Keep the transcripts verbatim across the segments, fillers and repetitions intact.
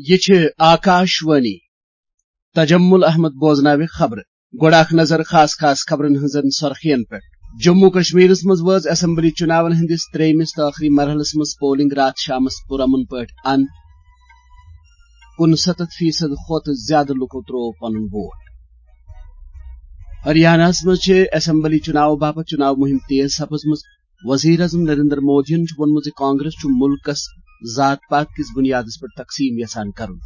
یہِ چھِ آکاش وانی۔ تجمل احمد بوزناوِ خبرٕ۔ گۄڈٕ اکھ نظر خاص خاص خبرن ہٕنٛزن سرخین پٮ۪ٹھ۔ جموں کشمیرس منٛز وٲژ اسمبلی چُناون ہٕنٛدِس ترٛیٚیمِس تہٕ ٲخری مرحلس منٛز پولنگ راتھ شامس پُرامن پٲٹھۍ اند۔ کُنسَتتھ فیصد کھۄتہٕ زیادٕ لُکو ترٛوو پنُن ووٹ۔ ہریاناہس منٛز چھِ اسمبلی چُناو باپتھ چُناو مُہِم تیز سپٕزمٕژ۔ وزیر اعظم نریندر مودیَن چھُ ووٚنمُت زِ کانگریس چھُ مُلکَس ذات پات کِس بُنیادَس پٮ۪ٹھ تقسیٖم یژھان کرُن۔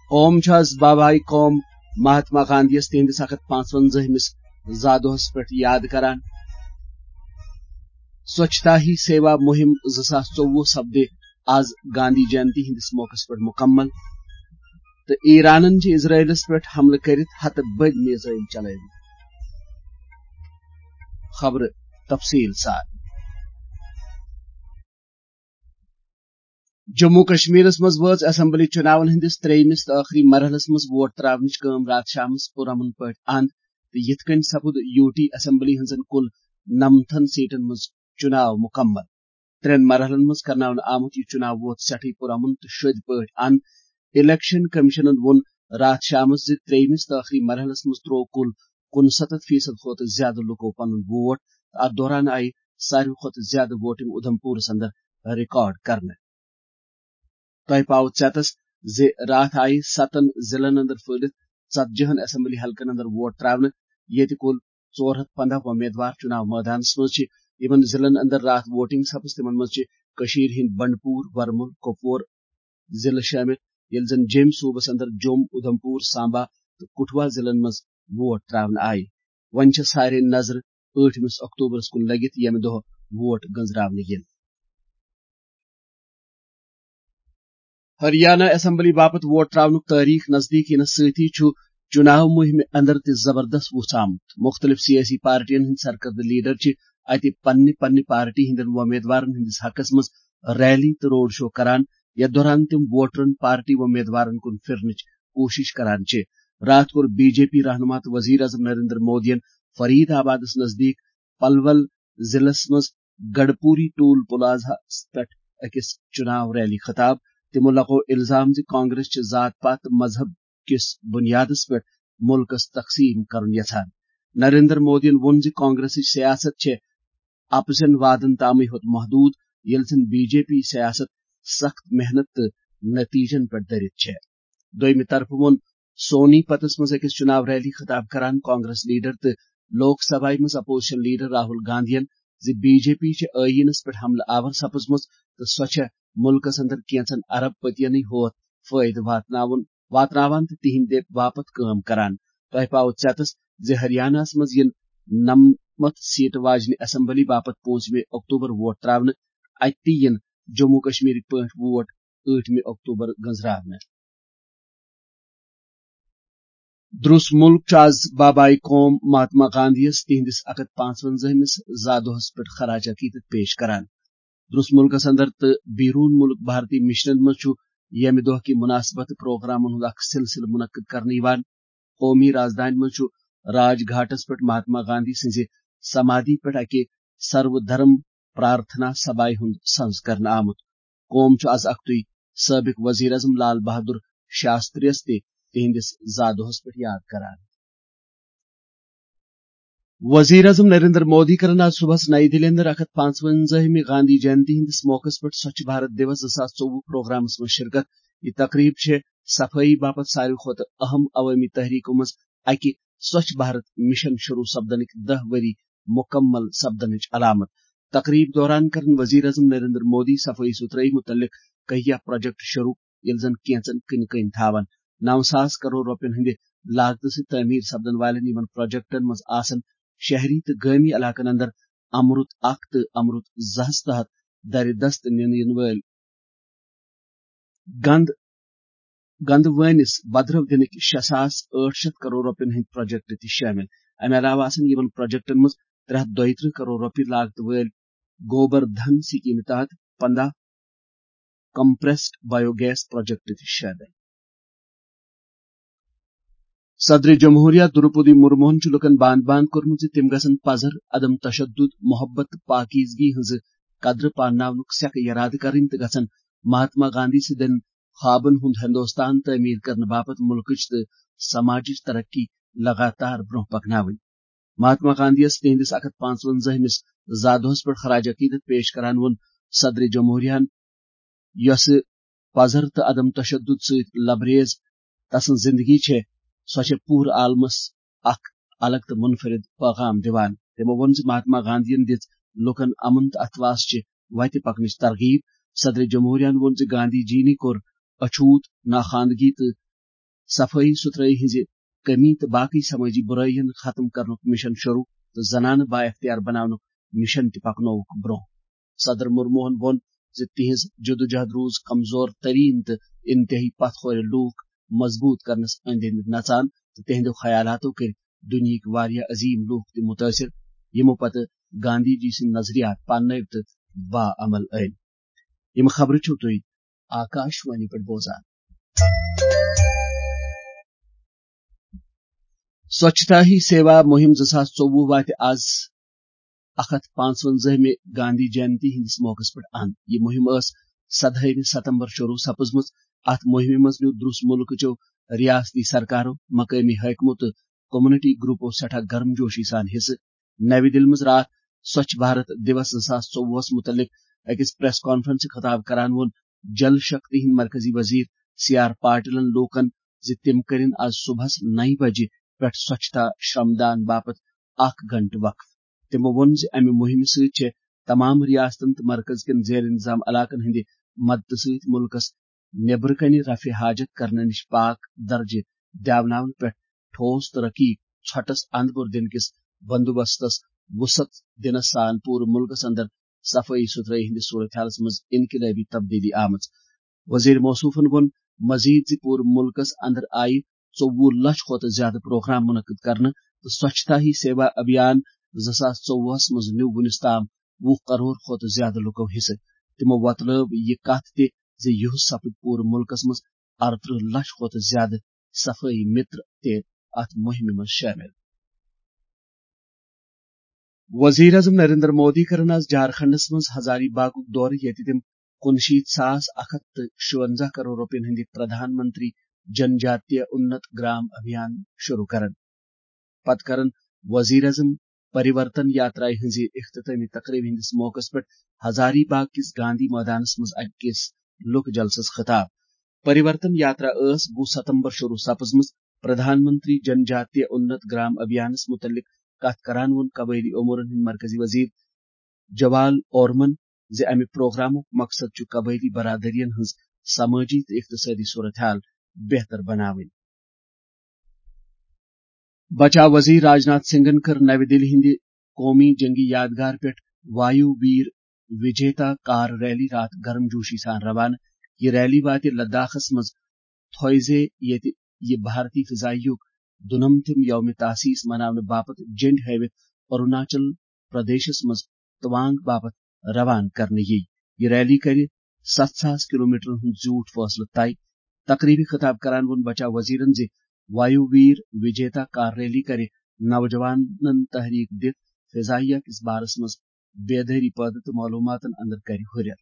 قوم چھُ از بابائے قوم مہاتما گاندھی یَس تِہنٛدِس اکھ ہتھ پانٛژوَنزاہمِس زا دۄہَس پٮ۪ٹھ یاد کران۔ سوچھتا ہی سیوا مُہِم زٕ ساس ژوٚوُہ سپدِ از گاندھی جینتی ہٕنٛدِس موقعس پٮ۪ٹھ مُکمل۔ تہٕ ایرانن چھِ اسرائیلس پٮ۪ٹھ حملہٕ کٔرِتھ ہتہٕ بٔدۍ میزائل چلٲومٕتۍ۔ خبرٕ تفصیٖل سان۔ جموں کشمیرس منٛز وٲژ اسمبلی چُناون ہٕنٛدِس ترٛیٚیمِس تہٕ ٲخری مرحلس منٛز ووٹ ترٛاونٕچ کٲم راتھ شامس پُرامن پٲٹھۍ اند تہٕ یِتھ کٔنۍ سپُد یوٗ ٹی اسمبلی ہٕنٛزن کُل نَمتھن سیٹن منٛز چُناو مُکمل۔ ترٛٮ۪ن مرحلن منٛز کرناونہٕ آمُت یہِ چُناو ووت سٮ۪ٹھٕے پُرامن تہٕ شوٚدۍ پٲٹھۍ اند۔ الیکشن کمیشنن ووٚن راتھ شامس زِ ترٛیٚیمِس تہٕ ٲخری مرحلس منٛز ترٛوو کُل کُنسَتتھ فیصد کھۄتہٕ زیادٕ لُکو پنُن ووٹ تہٕ اتھ دوران آیہِ ساروی کھۄتہٕ زیادٕ ووٹنگ اُدھمپورس اندر ریکارڈ کرنہٕ۔ تۄہہِ پاوٕ ژٮ۪تس زِ راتھ آیہِ ستن ضلعن اندر پھٔہلِتھ ژتجی ہن اسمبلی حلقن اندر ووٹ ترٛاونہٕ، ییٚتہِ کُل ژور ہتھ پنٛداہ وۄمیدوار چُناو مٲدانس منٛز چھِ۔ یِمن ضلعن اندر راتھ ووٹنگ سپٕز، تِمن منٛز چھِ کٔشیٖرِ ہٕنٛدۍ بنڈپوٗر، ورمُل، کۄپوور ضلعہٕ شٲمِل، ییٚلہِ زن جیٚمۍ صوٗبس اندر جوٚم، اُدھمپوٗر، سامبا تہٕ کٹھوا ضلعن منٛز ووٹ ترٛاونہٕ آیہِ۔ وۄنۍ چھےٚ سارے نظرٕ ٲٹھمِس اکتوبرس کُن لٔگِتھ، ییٚمہِ دۄہ ووٹ گٔنزراونہٕ یِن۔ ہریانہ اسمبلی باپتھ ووٹ ترٛاونُک تٲریخ نزدیٖک یِنس سۭتی چھُ چُناو مُہِمہِ اندر تہِ زبردست وُژھ آمُت۔ مُختٔلِف سیٲسی پارٹین ہٕنٛدۍ سرکردٕ لیڈر چھِ اتہِ پننہِ پننہِ پارٹی ہٕنٛدٮ۪ن وۄمیدوارن ہٕنٛدِس حقس منٛز ریلی تہٕ روڈ شو کران، یتھ دوران تِم ووٹرن پارٹی وۄمیدوارن کُن پھِرنٕچ کوٗشِش کران چھِ۔ راتھ کوٚر بی جے پی رہنما تہٕ وزیر اعظم نریندر مودیَن فرید آبادس نزدیٖک پلول ضلعس منٛز گڑپوری ٹول پلازہس پٮ۪ٹھ أکِس چُناو ریلی خطاب۔ تِمو لگوو الزام زِ کانگریس چھِ ذات پات تہٕ مذہب کِس بُنیادس پٮ۪ٹھ مُلکس تقسیٖم کرُن یژھان۔ نریندر مودیَن ووٚن زِ کانگریسٕچ سیاست چھےٚ اپزٮ۪ن وعدن تامٕے ہوت محدوٗد، ییٚلہِ زن بی جے پی سیاست سخت محنت تہٕ نتیجن پٮ۪ٹھ دٔرِتھ چھےٚ۔ دوٚیمہِ طرفہٕ ووٚن سونی پتس منٛز أکِس چُناو ریلی خطاب کران کانگریس لیڈر تہٕ لوک سبھایہ منٛز اپوزیشن لیڈر راہل گاندھین زِ بی جے پی چھِ ٲییٖنس پٮ۪ٹھ حملہٕ آور سپٕزمٕژ تہٕ سۄ چھےٚ مُلکس اندر کینژن ارب پتینٕے ہوت فٲیدٕ واتناوُن، واتناوان تہٕ تِہنٛدِ باپتھ کٲم کران۔ تۄہہِ پاوٕ ژٮ۪تس زِ ہریاناہس منٛز یِن نَمَتھ سیٹہٕ واجنہِ اسمبلی باپتھ پوٗنٛژمہِ اکتوبر ووٹ ترٛاونہٕ، اتہِ تہِ یِن جموں کشمیرٕکۍ پٲٹھۍ ووٹ ٲٹھمہِ اکتوبر گٔنزراونہٕ۔ درُس مُلک چھُ از بابائے قوم مہاتما گاندھی یَس تِہنٛدِس اکھ ہتھ پانٛژوَنزاہمِس زا دۄہس پٮ۪ٹھ خراج عقیدت پیش کران۔ درُس مُلکس اندر تہٕ بیروٗن مُلک بھارتی مشنن منٛز چھُ ییٚمہِ دۄہ کہِ مُناسبت پروگرامن ہُنٛد اکھ سلسلہٕ منعقد کرنہٕ یِوان۔ قومی رازدانہِ منٛز چھُ راج گھاٹس پٮ۪ٹھ مہاتما گاندھی سٕنٛزِ سمادھی پٮ۪ٹھ اکہِ سرو دھرم پرارتھنا سبھایہِ ہُنٛد سنز کرنہٕ آمُت۔ قوم چھُ از اکھتُے سٲبق وزیر اعظم لال بہادر شاستری یَس تہِ تِہنٛدِس زا دۄہس پٮ۪ٹھ یاد کران۔ وزیر اعظم نریندر مودی کرن آز صبحس نئی دِلہِ اندر اکھ ہتھ پانٛژوَنزاہمہِ گاندھی جینتی ہٕنٛدِس موقعس پٮ۪ٹھ سوچھ بھارت دیوس زٕ ساس ژوٚوُہ پروگرامس منٛز شرکت۔ یہِ تقریب چھےٚ صفٲیی باپتھ ساروی کھۄتہٕ اہم عوٲمی تحریکو منٛز اکہِ سوچھ بھارت مشن شروع سپدنٕکۍ دَہ ؤری مُکمل سپدنٕچ علامت۔ تقریب دوران کرن وزیر اعظم نریندر مودی صفٲیی ستھرٲیی متعلق کہیا پروجیکٹ شروع، ییٚلہِ زن کینژن کٕنہِ کٔنۍ تھاون۔ نو ساس کرور رۄپین ہٕنٛدِ لاگتہٕ سۭتۍ تعمیٖر سپدن والٮ۪ن یِمن پروجیکٹن منٛز آسن شہری تہٕ گٲمی علاقن اندر امرُت اکھ تہٕ امرُت زٕ ہس تحت درِ دست نِنہٕ یِنہٕ وٲلۍ گند، گند وٲنِس بدرو دِنٕکۍ شےٚ ساس ٲٹھ شیٚتھ کرور رۄپین ہٕنٛدۍ پروجیکٹ تہِ شٲمِل۔ امہِ علاوٕ آسن یِمن پروجیکٹن منٛز ترٛےٚ ہتھ دۄیہِ ترٕٛہ کرور رۄپیہِ لاگتہٕ وٲلۍ گوبر دھن سکیمہِ تحت پنٛداہ کمپریسڈ بایو گیس پروجیکٹ تہِ شٲمِل۔ صدر جمہوریہ دروپدی مرموہن چھُ لوٗکَن باند باند کوٚرمُت زِ تِم گژھن پزر، عدم تشدد، محبت تہٕ پاکیزگی ہٕنٛز قدر پانناونُک سیکہٕ یرادٕ کرٕنۍ تہٕ گژھن مہاتما گاندھی سٕنٛدٮ۪ن خوابن ہُنٛد ہندوستان تعمیٖر کرنہٕ باپتھ مُلکٕچ تہٕ سماجٕچ ترقی لگاتار برٛونٛہہ پکناوٕنۍ۔ مہاتما گاندھی یَس تِہنٛدِس اکھ ہتھ پانٛژوَنزاہمِس زا دۄہس پٮ۪ٹھ خراج عقیدت پیش کران ووٚن صدر جمہوریہن، یۄسہٕ پزر تہٕ عدم تشدد سۭتۍ لبریز تسٕنٛز زندگی چھےٚ، سۄ چھےٚ پوٗرٕ عالمس اکھ الگ تہٕ منفرد پیغام دِوان۔ تِمو ووٚن زِ مہاتما گاندھین دِژ لوٗکن امن تہٕ اتھواس چہِ وتہِ پکنٕچ ترغیب۔ صدر جمہوریہن ووٚن زِ گاندھی جی نٕے کوٚر اچھوت، ناخواندگی تہٕ صفٲیی ستھرٲیی ہٕنٛزِ کمی تہٕ باقٕے سمٲجی بُرٲیی ہُنٛد ختم کرنُک مشن شروع تہٕ زنانہٕ با اختیار بناونُک مشن تہِ پکنووُکھ برٛونٛہہ۔ صدر مرموہن ووٚن زِ تِہنٛز جدوجہد روٗز کمزور ترین تہٕ انتہٲئی پتھ کھورِ لوٗکھ مضبوٗط کرنس أنٛدۍ أنٛدۍ نژان تہٕ تِہنٛدیو خیالاتو کٔرۍ دُنیہٕکۍ واریاہ عظیم لوٗکھ تہِ مُتٲثر، یِمو پتہٕ گاندھی جی سٕنٛدۍ نظریات پاننٲوۍ تہٕ باعمل أنۍ۔ یِم خبرٕ چھِو تُہۍ آکاش وانی پٮ۪ٹھ بوزان۔ سوچھتا ہی سیوا مُہِم زٕ ساس ژوٚوُہ واتہِ آز اکھ ہتھ پانٛژوَنزٲہمہِ گاندھی جینتی ہٕنٛدِس موقعس پٮ۪ٹھ اند۔ یہِ مُہِم ٲس سدہٲیمہِ ستمبر شروع سپٕزمٕژ۔ اتھ مُہِمہِ منٛز نیوٗ دروس مُلکہٕ چیو ریاستی سرکارو، مقٲمی حٲکمو تہٕ کمیونٹی گروپو سٮ۪ٹھاہ گرم جوشی سان حصہٕ۔ نَوِ دِلہِ منٛز راتھ سوچھ بھارت دیوس زٕ ساس ژوٚوُہس مُتعلق أکِس پریس کانفرنسہِ خطاب کران ووٚن جل شکتی ہٕنٛدۍ مرکزی وزیر سی آر پاٹلن لوٗکن زِ تِم کٔرِن آز صبحس نَیہِ بجہِ پٮ۪ٹھ سوچھتا شرمدان باپتھ اکھ گھنٹہٕ وقف۔ تِمو ووٚن زِ امہِ مُہِمہِ سۭتۍ چھِ تمام ریاستن تہٕ مرکز کٮ۪ن زیر انتظام علاقن ہٕنٛدِ مدتہٕ سۭتۍ مُلکس نیبرٕ کنہِ رفع حاجت کرنہٕ نِش پاک درجہٕ دیاوناونہٕ پٮ۪ٹھ ٹھوس تہٕ رقیق ژھۄٹس اندٕ پور دِنہٕ کِس بندوبستس وسعت دِنس سان پوٗرٕ مُلکس اندر صفٲیی ستھرٲیی ہٕنٛدِس صورت حالس منٛز انقلٲبی تبدیلی آمٕژ۔ وزیر موصوفن ووٚن مزید زِ پوٗرٕ مُلکس اندر آیہِ ژوٚوُہ لچھ کھۄتہٕ زیادٕ پروگرام منعقد کرنہٕ تہٕ سوچھتا ہی سیوا ابھیان زٕ ساس ژوٚوُہس منٛز نیوٗ وُنیُس تام وُہ کرور کھۄتہٕ زیادٕ لُکو حصہٕ۔ تِمو وۄتلٲو یہِ کتھ تہِ زِ یُہُس سپٕدۍ پوٗرٕ مُلکس منٛز ارترٕہ لچھ کھۄتہٕ زیادٕ صفٲیی متر تہِ اتھ مُہِمہِ منٛز شٲمِل۔ وزیر اعظم نریندر مودی کرن آز جھارکھنڈس منٛز ہزاری باغُک دورٕ، ییٚتہِ تِم کُنشیٖتھ ساس اکھ ہتھ تہٕ شُونزاہ کرور رۄپین ہٕنٛدِ پردھان منتری جن جاتیہ اُنت گرام ابھیان شروع کرن۔ پتہٕ کرن وزیر اعظم پریورتن یاترایہِ ہٕنٛزِ اختتٲمی تقریبہِ ہٕنٛدِس موقعس پٮ۪ٹھ ہزاری باغ کِس گاندھی مٲدانس منٛز أکِس لوک جلسس خطاب۔ پریورتن یاترا ٲس وُہ ستمبر شروع سپٕزمٕژ۔ پردھان منتری جن جاتیہ اُنت گرام ابھیانس مُتعلق کتھ کران ووٚن قبٲیلی امورن ہٕنٛدۍ مرکزی وزیر جوال اورمن زِ امہِ پروگرامُک مقصد چھُ قبٲیلی برادریَن ہٕنٛز سمٲجی تہٕ اقتصٲدی صورت حال بہتر بناوٕنۍ۔ بچاو وزیر راجناتھ سنگھن کٔر نَوِ دِلہِ ہٕنٛدِ قومی جنگی یادگار پٮ۪ٹھ وایو ویر وجیتا کار ریلی راتھ گرم جوشی سان روانہٕ۔ یہِ ریلی واتہِ لداخس منٛز تھویزے، ییٚتہِ یہِ بھارتی فضائیہُک دُنمتھِم یوم تاسیس مناونہٕ باپتھ جنڈ ہٲوِتھ اروناچل پردیشس منٛز توانگ باپتھ روانہٕ کرنہٕ یِیہِ۔ یہِ ریلی کرِ ستھ ساس کلومیٹرن ہُنٛد زیوٗٹھ فٲصلہٕ طے۔ تقریبہِ خطاب کران ووٚن بچاو وزیرن زِ وایو ویر وجیتا کار ریلی کرِ نوجوانن تحریک دِتھ فضائیہ کِس بارس منٛز بیدٲری پٲدٕ تہٕ معلوماتن اندر کرِ ہُرٮ۪ر۔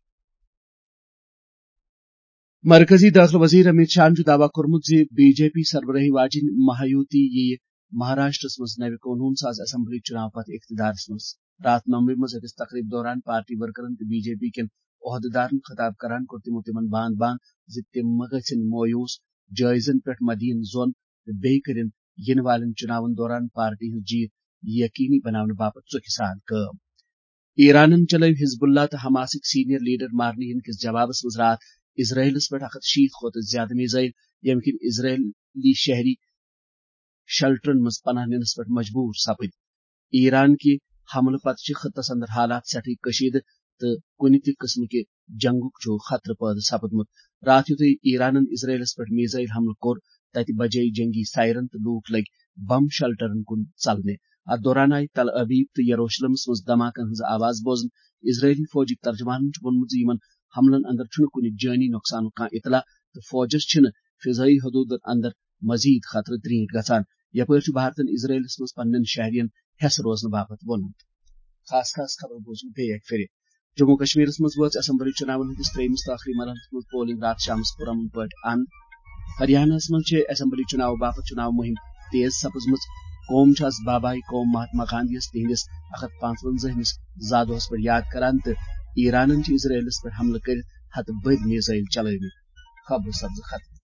مرکزی دٲخلہٕ وزیر امیت شاہن چھُ دعویٰ کوٚرمُت زِ بی جے پی سربرٲہی واجیٚنۍ مہایوتی یِیہِ مہاراشٹرس منٛز نوِ قونوٗن ساز اسمبلی چُناو پتہٕ اقتدارس منٛز۔ راتھ ممبئی منٛز أکِس تقریب دوران پارٹی ورکرن تہٕ بی جے پی کٮ۪ن عہدٕدارن خطاب کران کوٚر تِمو تِمن باند باند زِ تِم مہ گژھن مویوٗس، جٲیزن پٮ۪ٹھ مہ دِیِن زۄن تہٕ بیٚیہِ کٔرِن یِنہٕ والٮ۪ن چُناون دوران پارٹی ہٕنٛز جیٖت یقینی بناونہٕ باپتھ ژُکہِ سان کٲم۔ ایرانن چلٲوۍ حزب اللہ تہٕ حماسٕکۍ سینئر لیڈر مارنہٕ یِنہٕ کِس جوابس منٛز راتھ اسرائیلس پٮ۪ٹھ اکھ ہتھ شیٖتھ کھۄتہٕ زیادٕ میزائل، ییٚمہِ کِنۍ اسرائیلی شہری شیلٹرن منٛز پناہ نِنس پٮ۪ٹھ مجبوٗر سپٕدۍ۔ ایران کہِ حملہٕ پتہٕ چھِ خطس اندر حالات سٮ۪ٹھٕے کشیدٕ تہٕ کُنہِ تہِ قٕسمہٕ کہِ جنگُک چھُ خطرٕ پٲدٕ سپُدمُت۔ راتھ یُتھُے ایرانن اسرائیلس پٮ۪ٹھ میزائل حملہٕ کوٚر، تتہِ بجے جنگی سائرن تہٕ لوٗکھ لٔگۍ بم شیلٹرن کُن ژلنہِ۔ اتھ دوران آیہِ تل ابیب تہٕ یروشلمس منٛز دھماکن ہٕنٛز آواز بوزنہٕ۔ اسرائیلی فوجٕکۍ ترجمانن چھُ ووٚنمُت زِ یِمن حملن اندر چھُنہٕ کُنہِ جٲنی نۄقصانُک کانٛہہ اطلاع تہٕ فوجس چھِنہٕ فضائی حدوٗدن اندر مزید خطرٕ ترٛیٖنٹھۍ گژھان۔ یپٲرۍ چھُ بھارتن اسرائیلس منٛز پننٮ۪ن شہرین ہٮ۪س روزنہٕ باپتھ ووٚنمُت۔ خاص خاص خبر بوزو بیٚیہِ اکہِ پھِرِ۔ جموں کشمیرس منٛز وٲژ اسمبلی چُناون ہٕنٛدِس ترٛیٚیمِس تہٕ ٲخری مرحلس منٛز پولنگ راتھ شامس پُرامن پٲٹھۍ اند۔ ہریانہ ہس منٛز چھِ اسمبلی چُناو باپتھ چُناو مُہِم تیز سپٕزمٕژ۔ قوم چھُ از بابائے قوم مہاتما گاندھی یس تِہنٛدِس اکھ ہتھ پانٛژوَنزاہمِس زا دۄہس پٮ۪ٹھ یاد کران تہٕ ایرانن چھِ اسرائیلس پٮ۪ٹھ حملہٕ کٔرِتھ ہتہٕ بٔدۍ میزائل چلٲومٕتۍ۔ خبر سپزٕ ختم۔